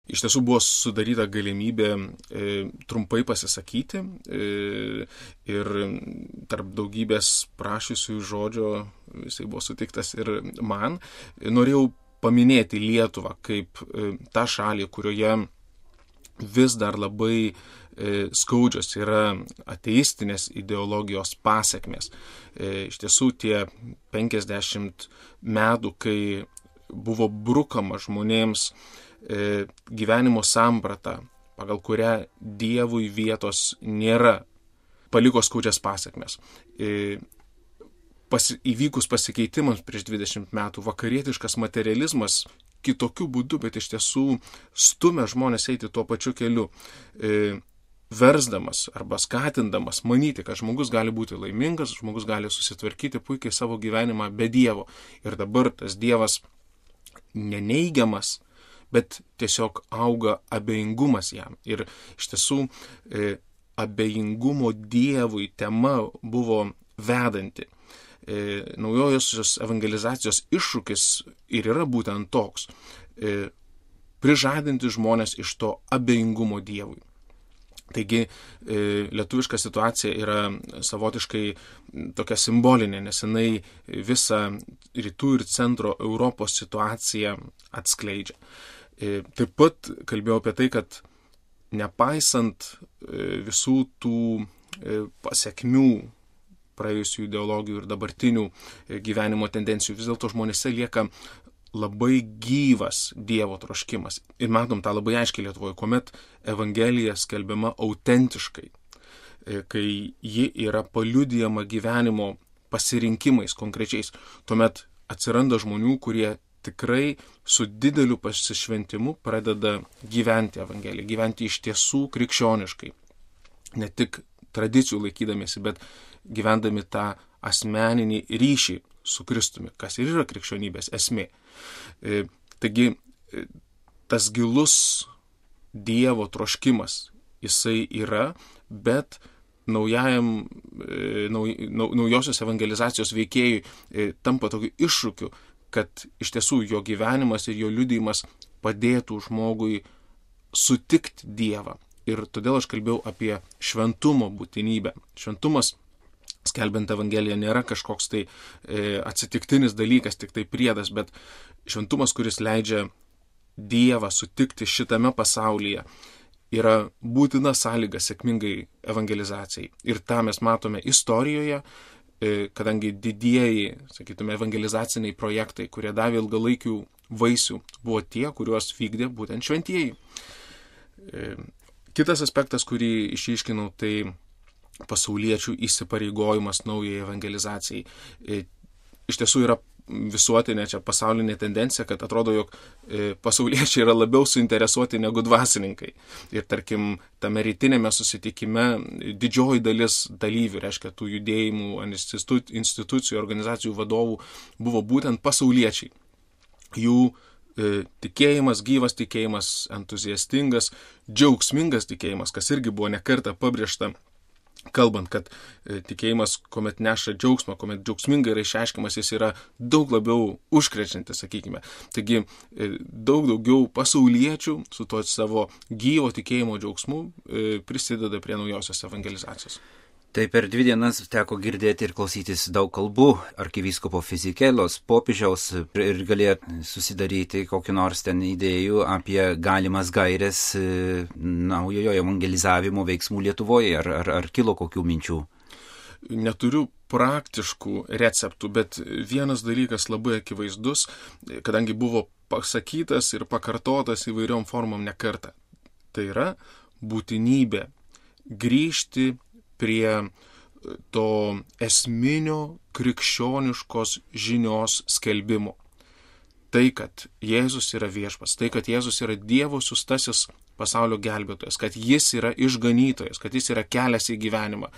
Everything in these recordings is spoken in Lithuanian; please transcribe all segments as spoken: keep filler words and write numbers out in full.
iš tiesų buvo sudaryta galimybė e, trumpai pasisakyti e, ir tarp daugybės prašysių žodžio jisai buvo sutiktas ir man. Norėjau paminėti Lietuvą kaip e, tą šalį, kurioje vis dar labai e, skaudžios yra ateistinės ideologijos pasekmės. E, iš tiesų tie penkiasdešimt metų, kai buvo brukama žmonėms e, gyvenimo samprata, pagal kurią Dievui vietos nėra, paliko skaudžias pasekmės. E, pas, įvykus pasikeitimams prieš dvidešimt metų, vakarietiškas materializmas kitokiu būdu, bet iš tiesų stumia žmonės eiti tuo pačiu keliu, e, versdamas arba skatindamas manyti, kad žmogus gali būti laimingas, žmogus gali susitvarkyti puikiai savo gyvenimą be Dievo. Ir dabar tas Dievas neneigiamas, bet tiesiog auga abejingumas jam. Ir iš tiesų e, abejingumo Dievui tema buvo vedanti. E, naujojosios evangelizacijos iššūkis ir yra būtent toks. E, prižadinti žmonės iš to abejingumo Dievui. Taigi e, lietuviška situacija yra savotiškai tokia simbolinė, nes jinai visą rytų ir centro Europos situaciją atskleidžia. E, taip pat kalbėjau apie tai, kad nepaisant e, visų tų e, pasiekmių praėjusių ideologijų ir dabartinių gyvenimo tendencijų, vis dėlto žmonėse lieka labai gyvas Dievo troškimas. Ir matom tą labai aiškiai Lietuvoje, kuomet Evangelija skelbiama autentiškai, kai ji yra paliudijama gyvenimo pasirinkimais konkrečiais, tuomet atsiranda žmonių, kurie tikrai su dideliu pasišventimu pradeda gyventi Evangeliją, gyventi iš tiesų krikščioniškai. Ne tik tradicijų laikydamėsi, bet gyvendami tą asmeninį ryšį su Kristumi, kas ir yra krikščionybės esmė. E, taigi, tas gilus Dievo troškimas, jisai yra, bet naujajam, e, nauj, nau, naujosios evangelizacijos veikėjui e, tampa tokiu iššūkiu, kad iš tiesų jo gyvenimas ir jo liudijimas padėtų žmogui sutikti Dievą. Ir todėl aš kalbėjau apie šventumo būtinybę. Šventumas, skelbiant Evangeliją, nėra kažkoks tai e, atsitiktinis dalykas, tik tai priedas, bet šventumas, kuris leidžia Dievą sutikti šitame pasaulyje, yra būtina sąlyga sėkmingai evangelizacijai. Ir tą mes matome istorijoje, e, kadangi didieji, sakytume, evangelizaciniai projektai, kurie davė ilgalaikių vaisių, buvo tie, kuriuos vykdė būtent šventieji. E, Kitas aspektas, kurį išryškinau, tai pasauliečių įsipareigojimas naujai evangelizacijai. Iš tiesų yra visuotinė čia pasaulinė tendencija, kad atrodo, jog pasauliečiai yra labiau suinteresuoti negu dvasininkai. Ir tarkim, tame rytinėme susitikime didžioji dalis dalyvių, reiškia tų judėjimų, institucijų, organizacijų vadovų, buvo būtent pasauliečiai. Jų tikėjimas, gyvas tikėjimas, entuziastingas, džiaugsmingas tikėjimas, kas irgi buvo nekartą pabrėžta, kalbant, kad tikėjimas, kuomet neša džiaugsmą, kuomet džiaugsmingai yra išreiškiamas, jis yra daug labiau užkrečiantis, sakykime. Taigi daug daugiau pasauliečių su to savo gyvo tikėjimo džiaugsmu prisideda prie naujosios evangelizacijos. Tai per dvi dienas teko girdėti ir klausytis daug kalbų arkivyskupo Fizikelos, popiežiaus ir galėjo susidaryti kokį nors ten idėjų apie galimas gaires naujojo evangelizavimo veiksmų Lietuvoje. Ar, ar, ar kilo kokių minčių? Neturiu praktiškų receptų, bet vienas dalykas labai akivaizdus, kadangi buvo pasakytas ir pakartotas įvairiom formom nekartą. Tai yra būtinybė grįžti prie to esminio krikščioniškos žinios skelbimo. Tai, kad Jėzus yra viešpats, tai, kad Jėzus yra Dievo siųstasis pasaulio gelbėtojas, kad jis yra išganytojas, kad jis yra kelias į gyvenimą,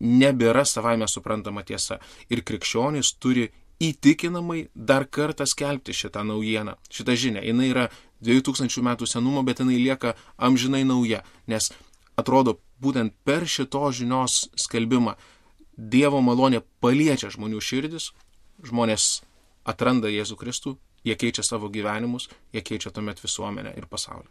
nebėra savaime suprantama tiesa. Ir krikščionys turi įtikinamai dar kartą skelbti šitą naujieną, šitą žinią. Jinai yra dviejų tūkstančių metų senumo, bet jinai lieka amžinai nauja, nes atrodo, būtent per šito žinios skelbimą Dievo malonė paliečia žmonių širdis, žmonės atranda Jėzų Kristų, jie keičia savo gyvenimus, jie keičia tuomet visuomenę ir pasaulį.